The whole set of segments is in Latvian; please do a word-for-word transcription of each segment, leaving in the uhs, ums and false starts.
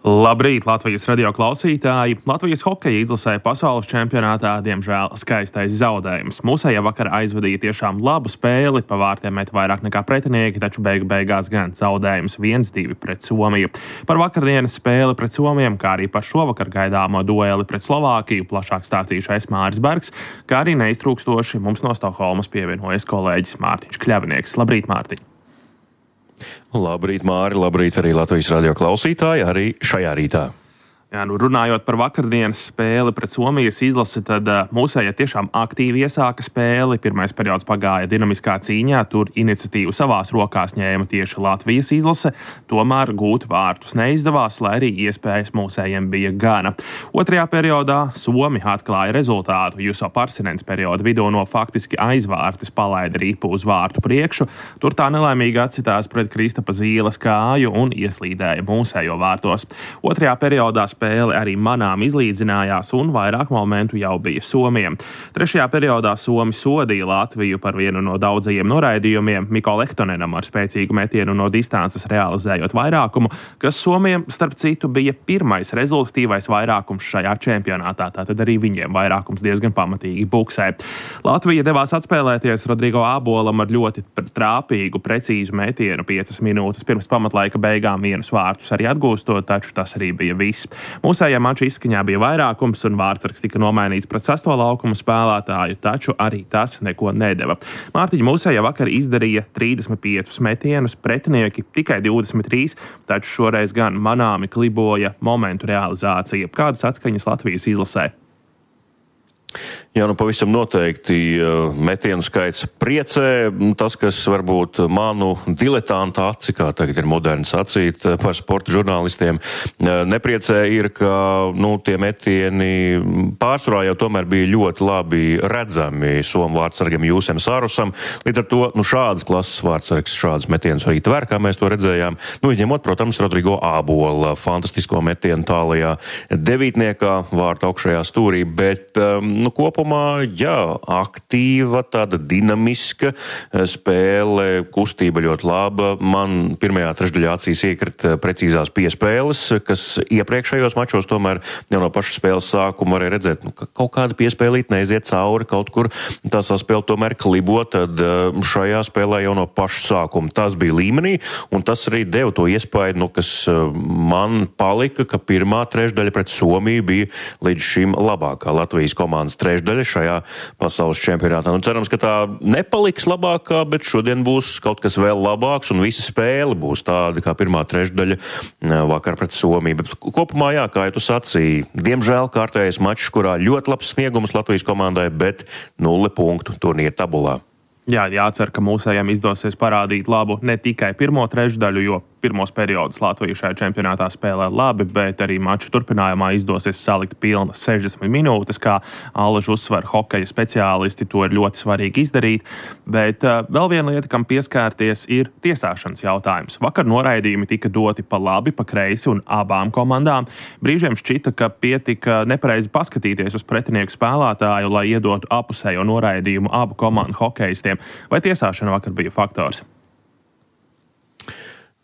Labrīt, Latvijas radio klausītāji! Latvijas hokeja izlasē pasaules čempionātā, diemžēl, skaistais zaudējums. Mūsējie vakar aizvadīja tiešām labu spēli, pa vārtiem met vairāk nekā pretinieki, taču beigu beigās gan zaudējums viens divi pret Somiju. Par vakardienas spēli pret Somiem, kā arī par šovakar gaidāmo dueli pret Slovākiju, plašāk stāstīšu es Māris Bergs, kā arī neiztrūkstoši mums no Stokholmas pievienojas kolēģis Mārtiņš Kļavinieks. Labrīt, Mārtiņ! Labrīt, Māri, labrīt arī Latvijas radio klausītāji, arī šajā rītā. Jā, nu runājot par vakardienas spēli pret Somijas izlasi, tad uh, mūsējie tiešām aktīvi iesāka spēli. Pirmais periods pagāja dinamiskā cīņā, tur iniciatīvu savās rokās ņēma tieši Latvijas izlase, tomēr gūt vārtus neizdevās, lai arī iespējas mūsējiem bija gana. Otrajā periodā Somi atklāja rezultātu. Juso Parsinens perioda vidū no faktiski aizvārtis palaida ripu uz vārtu priekšu, tur tā nelaimīgi atsitās pret Kristapa Zīles kāju un ieslīdēja mūsējo vārtos. Otrajā periodā spēle arī manām izlīdzinājās un vairāk momentu jau bija Somiem. Trešajā periodā Somi sodīja Latviju par vienu no daudzajiem noraidījumiem, Miko Lehtonenam ar spēcīgu metienu no distances realizējot vairākumu, kas Somiem, starp citu, bija pirmais rezultatīvais vairākums šajā čempionātā, tātad arī viņiem vairākums diezgan pamatīgi buksē. Latvija devās atspēlēties Rodrigo Ābolam ar ļoti trāpīgu, precīzu metienu piecas minūtes pirms pamatlaika beigām vienus vārtus arī atgūstot, taču tas arī bija viss. Mūsējā mača izskaņā bija vairākums un vārtsargs tika nomainīts pret sesto laukumu spēlētāju, taču arī tas neko nedeva. Mārtiņa, mūsējā vakar izdarīja trīsdesmit piecus metienus, pretinieki tikai divdesmit trīs, taču šoreiz gan manāmi kliboja momentu realizācija. Kādas atskaņas Latvijas izlasē? Jā, nu pavisam noteikti metienu skaits priecē. Tas, kas varbūt manu diletantu aci, kā tagad ir moderni sacīt par sporta žurnālistiem, nepriecē ir, ka nu, tie metieni pārsvarā jau tomēr bija ļoti labi redzami somu vārtsargam Jūsem Sarusam. Līdz ar to nu, šādas klases vārtsargs šādas metienas arī tver, kā mēs to redzējām. Nu, izņemot, protams, Rodrigo Ābola fantastisko metienu tālajā devītniekā vārta augšējā stūrī, bet nu, kopumā, jā, aktīva, tāda dinamiska spēle, kustība ļoti laba. Man pirmajā trešdaļā acīs iekrita precīzās piespēles, kas iepriekšējos mačos tomēr jau no paša spēles sākuma varēja redzēt, nu, ka kaut kāda piespēlīt neiziet cauri, kaut kur tā saspēle tomēr klibo, tad šajā spēlē jau no paša sākuma tas bija līmenī, un tas arī deva to iespēju, nu, kas man palika, ka pirmā trešdaļa pret Somiju bija līdz šim labākā Latvijas komandas trešdaļa šajā pasaules čempionātā. Nu, cerams, ka tā nepaliks labākā, bet šodien būs kaut kas vēl labāks un visa spēle būs tāda kā pirmā trešdaļa vakar pret Somiju. Bet kopumā, jā, kā jau tu sacīji, diemžēl kārtējais mačs, kurā ļoti labs sniegums Latvijas komandai, bet nulle punktu turnīra tabulā. Jā, jācer, ka mūsējiem izdosies parādīt labu ne tikai pirmo trešdaļu, jo pirmos periodus Latvija šajā čempionātā spēlē labi, bet arī maču turpinājumā izdosies salikt pilnas sešdesmit minūtes, kā Allaž uzsver hokeja speciālisti, to ir ļoti svarīgi izdarīt. Bet uh, vēl viena lieta, kam pieskārties, ir tiesāšanas jautājums. Vakar noraidījumi tika doti pa labi, pa kreisi un abām komandām. Brīžiem šķita, ka pietika nepareizi paskatīties uz pretinieku spēlētāju, lai iedotu apusējo noraidījumu abu komandu hokeistiem. Vai tiesāšana vakar bija faktors?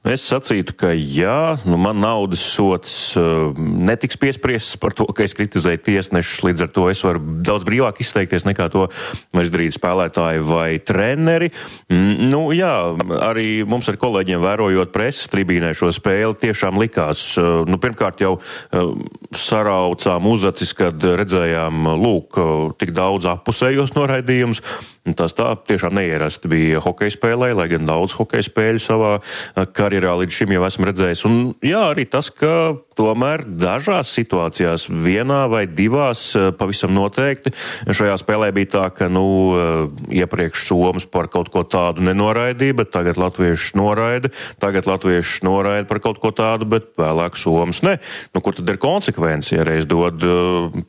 Es sacītu, ka jā, nu man naudas sots uh, netiks piespriests par to, ka es kritizēju tiesnešus, līdz ar to es varu daudz brīvāk izteikties nekā to var izdarīt spēlētāji vai treneri. Mm, nu jā, arī mums ar kolēģiem vērojot preses tribīnē šo spēli tiešām likās, uh, nu pirmkārt jau uh, saraucām uzacis, kad redzējām, lūk, uh, tik daudz appusējos noraidījumus. Tas tā tiešām neierasti bija hokeja spēlē, lai gan daudz hokeja spēļu savā karjerā līdz šim jau esmu redzējis. Un jā, arī tas, ka tomēr dažās situācijās, vienā vai divās pavisam noteikti, šajā spēlē bija tā, ka, nu, iepriekš Somas par kaut ko tādu nenoraidīja, bet tagad latvieši noraida, tagad latvieši noraida par kaut ko tādu, bet vēlāk Somas ne. Nu, kur tad ir konsekvence, ja reiz dod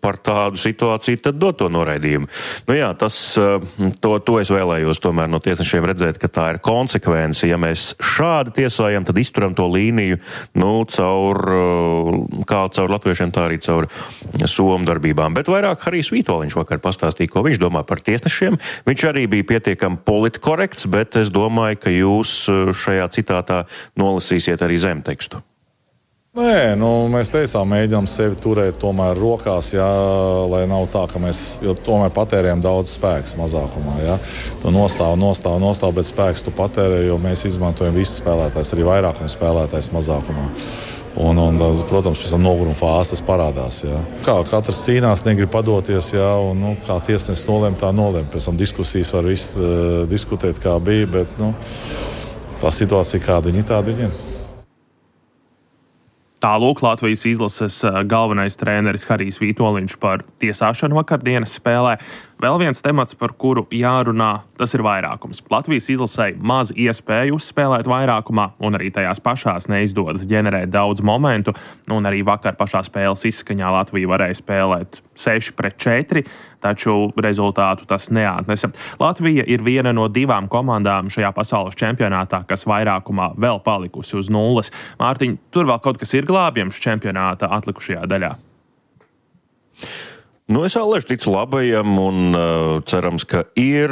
par tādu situāciju, tad dod to noraidījumu. Nu jā, tas, to, to es vēlējos tomēr no tiesnešiem redzēt, ka tā ir konsekvence. Ja mēs šādi tiesājam, tad izturam to līniju, nu, caur kā caur latviešiem, tā arī caur somu darbībām. Bet vairāk Harijs Vītoliņš vakar pastāstīja, ko viņš domā par tiesnešiem. Viņš arī bija pietiekami politkorekts, bet es domāju, ka jūs šajā citātā nolasīsiet arī zemtekstu. Nē, nu, mēs teicām, mēģinām sevi turēt tomēr rokās, jā, lai nav tā, ka mēs tomēr patērējam daudz spēks mazākumā. Jā. Tu nostāv, nostāv, nostāv, bet spēks tu patērē, jo mēs izmantojam visus spēlētājs, arī vairākums spēlētājs mazākumā. Un, un, protams, pēc tam noguruma fāzes parādās. Jā. Kā katrs cīnās, negrib padoties, jā, un nu, kā tiesnesis nolēma, tā nolēma. Pēc tam diskusijas var viss uh, diskutēt, kā bija, bet nu, tā situācija, kāda viņi tāda viņi ir. Tālūk Latvijas izlases galvenais treneris Harijs Vītoliņš par tiesāšanu vakardienas spēlē. Vēl viens temats, par kuru jārunā, tas ir vairākums. Latvijas izlasei maz iespēju uzspēlēt vairākumā, un arī tajās pašās neizdodas ģenerēt daudz momentu, un arī vakar pašā spēles izskaņā Latvija varēja spēlēt seši pret četri, taču rezultātu tas neatnesa. Latvija ir viena no divām komandām šajā pasaules čempionātā, kas vairākumā vēl palikusi uz nulles. Mārtiņ, tur vēl kaut kas ir glābjams čempionāta atlikušajā daļā? Nu, es Aleši ticu labajam un uh, cerams, ka ir,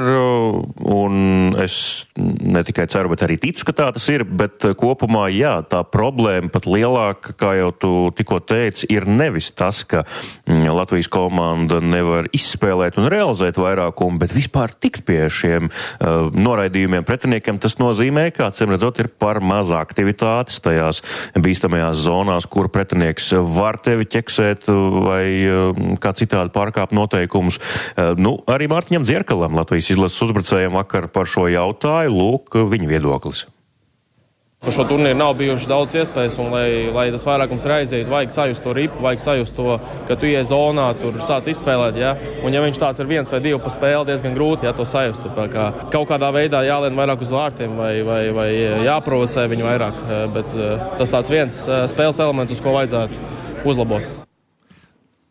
un es ne tikai ceru, bet arī ticu, ka tā tas ir, bet uh, kopumā, jā, tā problēma pat lielāka, kā jau tu tikko teici, ir nevis tas, ka mm, Latvijas komanda nevar izspēlēt un realizēt vairākumu, bet vispār tikt pie šiem uh, noraidījumiem pretiniekiem. Tas nozīmē, kā cim redzot, ir par maz aktivitātes tajās bīstamajās zonās, kur pretinieks var tevi ķeksēt vai uh, kā citādi pārkāpt noteikumus. Nu, arī Mārtiņam Dzierkalam, Latvijas izlases uzbrucējiem, vakar par šo jautāju, lūk, viņa viedoklis. Par šo turnīru nav bijušas daudz iespējas, un lai, lai tas vairākums reizētu, vajag sajust to ripu, vajag sajust to, ka tu ies zonā, tur sāc izspēlēt, ja? Un ja viņš tāds ir viens vai divi pa spēli, diezgan grūti, ja, to sajust. Tā kā kaut kādā veidā jālien vairāk uz vārtiem vai, vai, vai jāprovocē viņu vairāk, bet tas tāds viens spēles elements, uz ko vajadzētu uzlabot.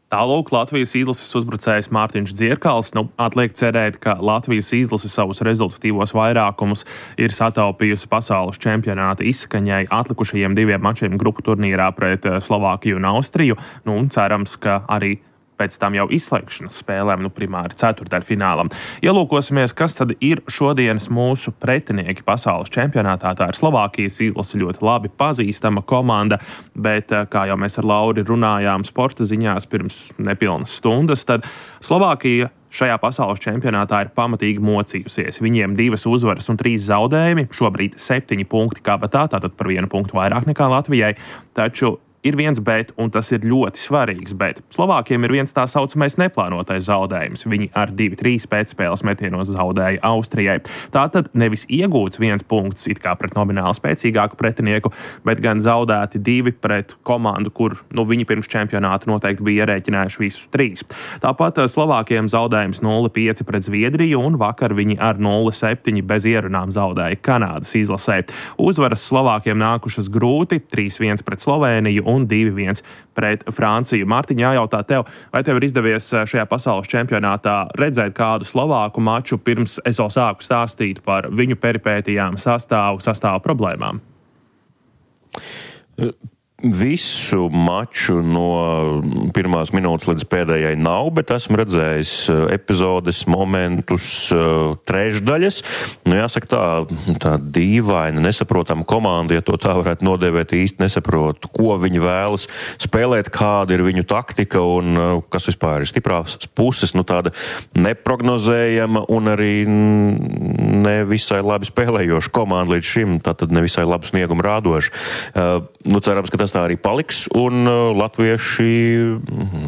Tālūk Latvijas izlases uzbrucējs Mārtiņš Dzierkals. Nu, atliek cerēt, ka Latvijas izlase savus rezultatīvos vairākumus ir sataupījusi pasaules čempionāta izskaņai atlikušajiem diviem mačiem grupu turnīrā pret Slovākiju un Austriju. Nu, un cerams, ka arī pēc tam jau izslēgšanas spēlēm, nu primāri ceturtdaļfinālam. Ielūkosimies, kas tad ir šodienas mūsu pretinieki pasaules čempionātā. Tā ir Slovākijas izlase, ļoti labi pazīstama komanda, bet, kā jau mēs ar Lauri runājām sporta ziņās pirms nepilnas stundas, tad Slovākija šajā pasaules čempionātā ir pamatīgi mocījusies. Viņiem divas uzvaras un trīs zaudējumi, šobrīd septiņi punkti kabatā, tātad par vienu punktu vairāk nekā Latvijai, taču ir viens bet, un tas ir ļoti svarīgs bet. Slovākiem ir viens tā saucamais neplānotais zaudējums. Viņi ar divi trīs pēcspēles metienos zaudēja Austrijai. Tātad nevis iegūts viens punkts it kā pret nomināli spēcīgāku pretinieku, bet gan zaudēti divi pret komandu, kur nu, viņi pirms čempionāta noteikti bija ierēķinājuši visus trīs. Tāpat Slovākiem zaudējums nulle pieci pret Zviedriju, un vakar viņi ar nulle septiņi bez ierunām zaudēja Kanādas izlasē. Uzvaras Slovākiem nākušas grūti, trīs viens pret Slovēniju un divi viens pret Franciju. Mārtiņ, jājautā tev, vai tev ir izdevies šajā pasaules čempionātā redzēt kādu slovāku maču, pirms es vēl sāku stāstīt par viņu peripētijām, sastāvu, sastāvu problēmām? Visu maču no pirmās minūtes līdz pēdējai nav, bet esmu redzējis epizodes, momentus, trešdaļas. Nu, jāsaka tā, tā dīvaina, nesaprotama komanda, ja to tā varētu nodēvēt, īsti nesaprotu, ko viņi vēlas spēlēt, kāda ir viņu taktika un kas vispār ir stiprās puses, nu tāda neprognozējama un arī ne visai labi spēlējoša komanda līdz šim, tātad ne visai labu sniegumu rādoša. Nu, cerams, ka tas tā arī paliks, un uh, latvieši,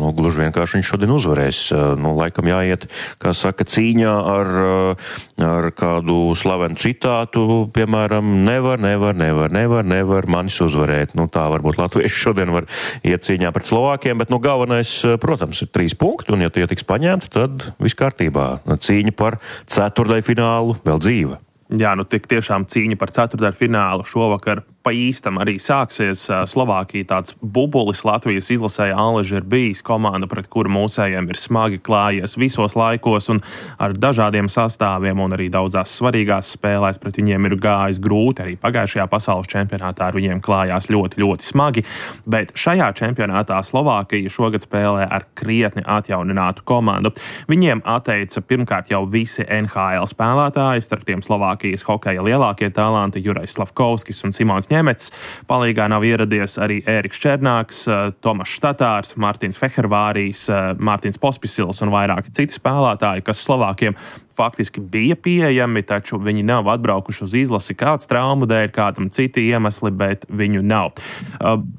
nu, gluži vienkārši viņš šodien uzvarēs. Uh, nu, laikam jāiet, kā saka, cīņā ar, uh, ar kādu slavenu citātu, piemēram, nevar, nevar, nevar, nevar, nevar manis uzvarēt. Nu, tā varbūt latvieši šodien var iet cīņā pret Slovākiem, bet, nu, galvenais, protams, ir trīs punkti, un ja tie tiks paņemti, tad viss kārtībā. Cīņa par ceturtdaļfinālu vēl dzīva. Jā, nu tik tiešām cīņa par ceturtdaļfinālu šovakar pa īstam arī sāksies. Slovākija tāds bubulis Latvijas izlasē Aleži ir bijis komanda, pret kuru mūsējiem ir smagi klājies visos laikos un ar dažādiem sastāviem un arī daudzās svarīgās spēlēs pret viņiem ir gājis grūti. Arī pagājušajā pasaules čempionātā ar viņiem klājās ļoti, ļoti smagi, bet šajā čempionātā Slovākija šogad spēlē ar krietni atjauninātu komandu. Viņiem atteica pirmkārt jau visi N H L spēlētāji, starp tiem Slovākijas hokeja lielākie talanti Jurais Slavkovskis un Simons Ņēmečs. Nemets. Palīgā nav ieradies arī Ēriks Černāks, Tomašs Tatārs, Mārtiņš Fehervārijs, Mārtiņš Pospisils un vairāki citi spēlētāji, kas Slovākiem faktiski bija pieejami, taču viņi nav atbraukuši uz izlasi kāds traumu dēļ, kādam citi iemesli, bet viņu nav.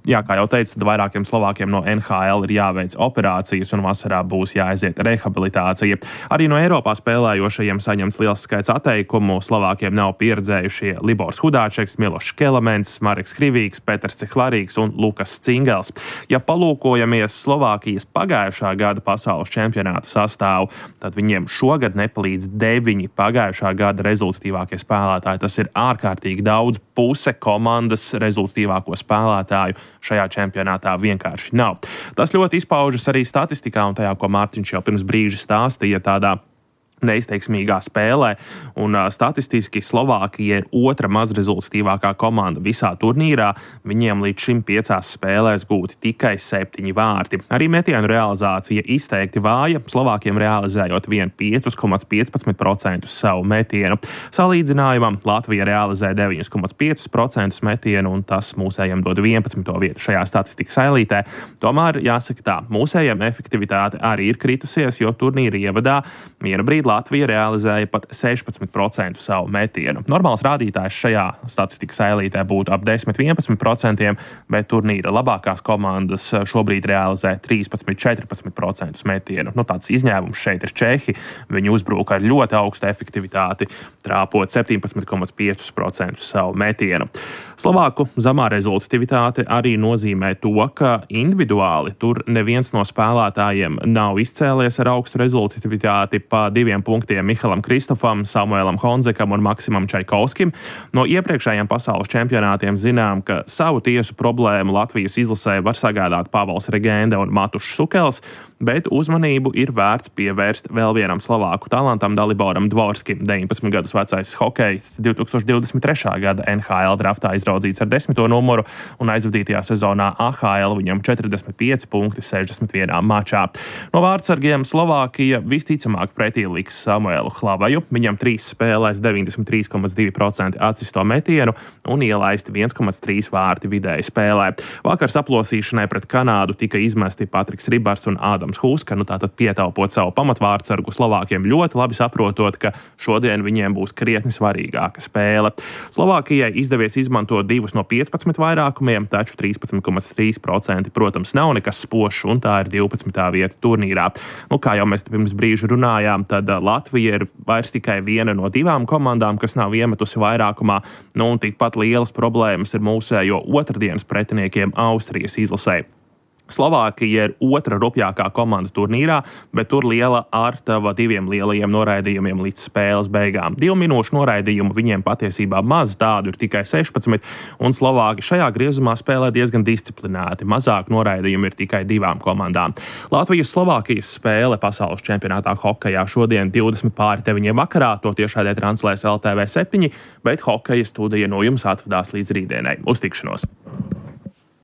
Jā, kā jau teicu, tad vairākiem Slovākiem no N H L ir jāveic operācijas un vasarā būs jāaiziet rehabilitācija. Arī no Eiropā spēlējošajiem saņemts liels skaits atteikumu. Slovākiem nav pieredzējušie Libors Hudāčeks, Milošs Kelements, Mareks Krivīgs, Peters Cihlarīgs un Lukas Cingels. Ja palūkojamies Slovākijas pagājušā gada pasaules čempionāta sastāvu, tad viņiem šogad nepalīdz deviņi pagājušā gada rezultatīvākie spēlētāji. Tas ir ārkārtīgi daudz, puse komandas rezultatīvāko spēlētāju šajā čempionātā vienkārši nav. Tas ļoti izpaužas arī statistikā un tajā, ko Mārtiņš jau pirms brīža stāstīja, tādā neizteiksmīgā spēlē, un uh, statistiski Slovākija ir otra mazrezultatīvākā komanda visā turnīrā. Viņiem līdz šim piecās spēlēs gūti tikai septiņi vārti. Arī metienu realizācija izteikti vāja, Slovākiem realizējot vien pieci komats piecpadsmit procenti savu metienu. Salīdzinājumam Latvija realizē deviņi komats pieci procenti metienu, un tas mūsējiem dod vienpadsmito vietu šajā statistikas ailītē. Tomēr jāsaka tā, mūsējiem efektivitāte arī ir kritusies, jo turnīra ievadā viena brīdi Latvija realizēja pat sešpadsmit procenti savu metienu. Normāls rādītājs šajā statistikas ailītē būtu ap desmit līdz vienpadsmit procentiem, bet turnīra labākās komandas šobrīd realizē trīspadsmit līdz četrpadsmit procentus metienu. Nu, tāds izņēmums šeit ir Čehi. Viņi uzbruka ar ļoti augstu efektivitāti, trāpot septiņpadsmit komats pieci procenti savu metienu. Slovāku zemā rezultatīvitāte arī nozīmē to, ka individuāli tur neviens no spēlētājiem nav izcēlies ar augstu rezultatīvitāti pa diviem punktiem Mihalam Kristofam, Samuēlam Honzekam un Maksimam Čaikovskim. No iepriekšējiem pasaules čempionātiem zinām, ka savu tiesu problēmu Latvijas izlasē var sagādāt Pavels Regende un Matušs Sukels, bet uzmanību ir vērts pievērst vēl vienam slovāku talantam Daliboram Dvorskim. deviņpadsmit gadus vecais hokejists divi tūkstoši divdesmit trešā gada N H L draftā izraudzīts ar desmito numuru un aizvadītajā sezonā A H L viņam četrdesmit pieci punkti sešdesmit vienā mačā. No vārdsargiem Slovākija visticamāk pretī liks Samuelu Hlavaju. Viņam trīs spēlēs deviņdesmit trīs komats divi procenti atsisto metienu un ielaisti viens komats trīs vārti vidēji spēlē. Vakar saplosīšanai pret Kanādu tika izmesti Patriks Ribars un Ādams Huska, nu tātad pietaupot savu pamatvārdsargu Slovākiem ļoti labi saprotot, ka šodien viņiem būs krietni svarīgāka spēle. Slovākijai izdevies izmantot divus no piecpadsmit vairākumiem, taču trīspadsmit komats trīs procenti, protams, nav nekas spošs, un tā ir divpadsmitā vieta turnīrā. Nu, kā jau mēs pirms brīža runājām, tad Latvija ir vairs tikai viena no divām komandām, kas nav iemetusi vairākumā, nu un tikpat lielas problēmas ir mūsējo otrdienas pretiniekiem Austrijas izlasē. Slovākija ir otra rupjākā komanda turnīrā, bet tur liela ārtava diviem lielajiem noraidījumiem līdz spēles beigām. Divu minūšu noraidījumu viņiem patiesībā maz, tādu ir tikai sešpadsmit, un Slovāki šajā griezumā spēlē diezgan disciplinēti. Mazāk noraidījumu ir tikai divām komandām. Latvijas-Slovākijas spēle pasaules čempionātā hokejā šodien divdesmit pāri deviņiem vakarā, to tiešādē translēs L T V septiņi, bet hokeja studija no jums atvadās līdz rītdienai. Uz tikšanos!